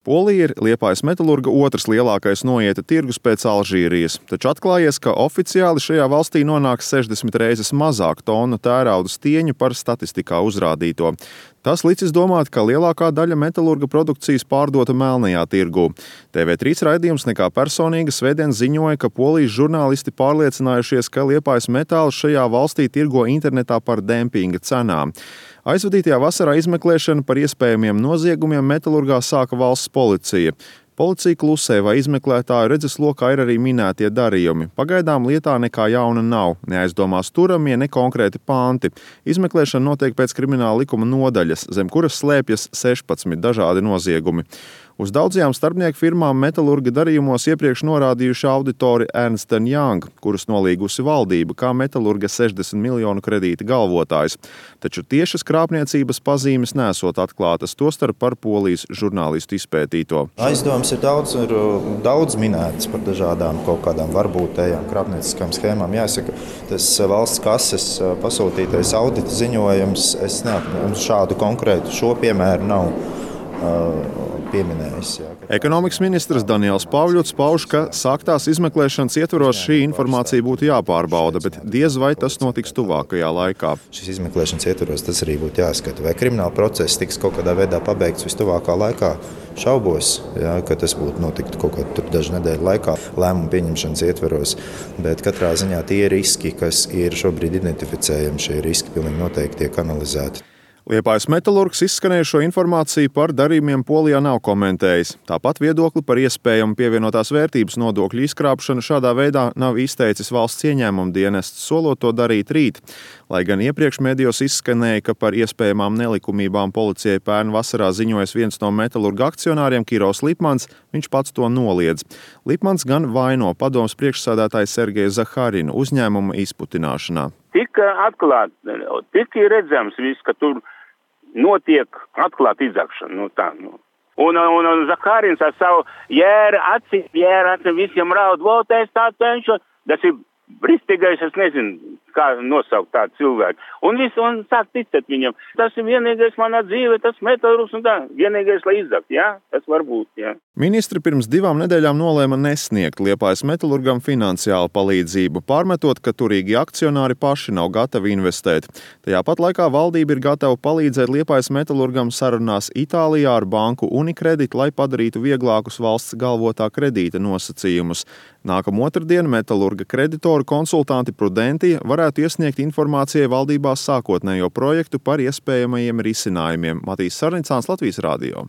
Polija ir Liepājas metalurga otrs lielākais noieta tirgus pēc Alžīrijas, taču atklājies, ka oficiāli šajā valstī nonāk 60 reizes mazāk tonu tērauda stieņu par statistikā uzrādīto. Tas licis domāt, ka lielākā daļa metalurga produkcijas pārdota melnajā tirgū. TV3 raidījums Nekā personīga svētdien ziņoja, ka polijas žurnālisti pārliecinājušies, ka Liepājas metāls šajā valstī tirgo internetā par dempinga cenām. Aizvadītajā vasarā izmeklēšanu par iespējamiem noziegumiem metalurgā sāka valsts policija. Policija klusē, vai izmeklētāju redzeslokā ir arī minētie darījumi. Pagaidām lietā nekā jauna nav, neaizdomās turamie, ne konkrēti panti. Izmeklēšana notiek pēc krimināla likuma nodaļas, zem kuras slēpjas 16 dažādi noziegumi. Uz daudzajām starpnieku firmām metalurga darījumos iepriekš norādījuši auditori Ernst & Young, kurus nolīgusi valdība kā metalurga 60 miljonu kredīta galvotājs. Taču tiešas krāpniecības pazīmes nesot atklātas, tostarp par polijas žurnālistu izpētīto. Aizdomas ir daudz minētas par dažādām kaut kādām varbūtējām krāpnieciskām schēmām. Jāsaka, tas valsts kases pasūtītais audita ziņojums, es neapņemu šādu konkrētu šo piemēru nav pieminējis. Ekonomikas ministrs Daniels Pavļuts pauž, ka sāktās izmeklēšanas ietvaros šī informācija būtu jāpārbauda, bet diez vai tas notiks tuvākajā laikā. Šis izmeklēšanas ietvaros tas arī būtu jāskata. Vai krimināla process tiks kaut kādā veidā pabeigts vistuvākā laikā? Šaubos, ka tas būtu notiktu kaut kādā dažu nedēļu laikā lēmumu pieņemšanas ietvaros, bet katrā ziņā tie riski, kas ir šobrīd identificējami, šie riski pilnīgi noteikti tiek analizēti. Liepājas metalurgs izskanējušo informāciju par darījumiem Polijā nav komentējis. Tāpat viedokli par iespējamu pievienotās vērtības nodokļu izkrāpšanu šādā veidā nav izteicis valsts ieņēmuma dienests, solot to darīt rīt. Lai gan iepriekš medijos izskanēja, ka par iespējamām nelikumībām policijai pērn vasarā ziņojas viens no metalurga akcionāriem Kirovs Lipmans, viņš pats to noliedz. Lipmans gan vaino padomes priekšsēdētāju Sergeju Zaharinu uzņēmuma izputināšanā. Tika atklāt, tika redzams viss, ka tur notiek atklāt izzakšana. Un Zaharins ar savu jēra acī visiem raud, votēs tā cenšu, tas ir bristīgais, es nezinu, kā nosaukt tādu cilvēku. Un sāk ticēt viņam. Tas ir vienīgais manā dzīvē, tas metalurgs un tā. Vienīgais, lai izzakt, jā? Tas var būt, jā. Ministri pirms 2 nedēļām nolēma nesniegt Liepājas metalurgam finansiālu palīdzību, pārmetot, ka turīgi akcionāri paši nav gatavi investēt. Tajā pat laikā valdība ir gatava palīdzēt Liepājas metalurgam sarunās Itālijā ar banku Unicredit, lai padarītu vieglākus valsts galvotā kredīta nosacījumus. Nākamā otrdien metalurga kreditoru konsultanti Prudenti varētu iesniegt informācijai valdībā sākotnējo projektu par iespējamajiem risinājumiem. Matīs Sarnicāns, Latvijas Radio.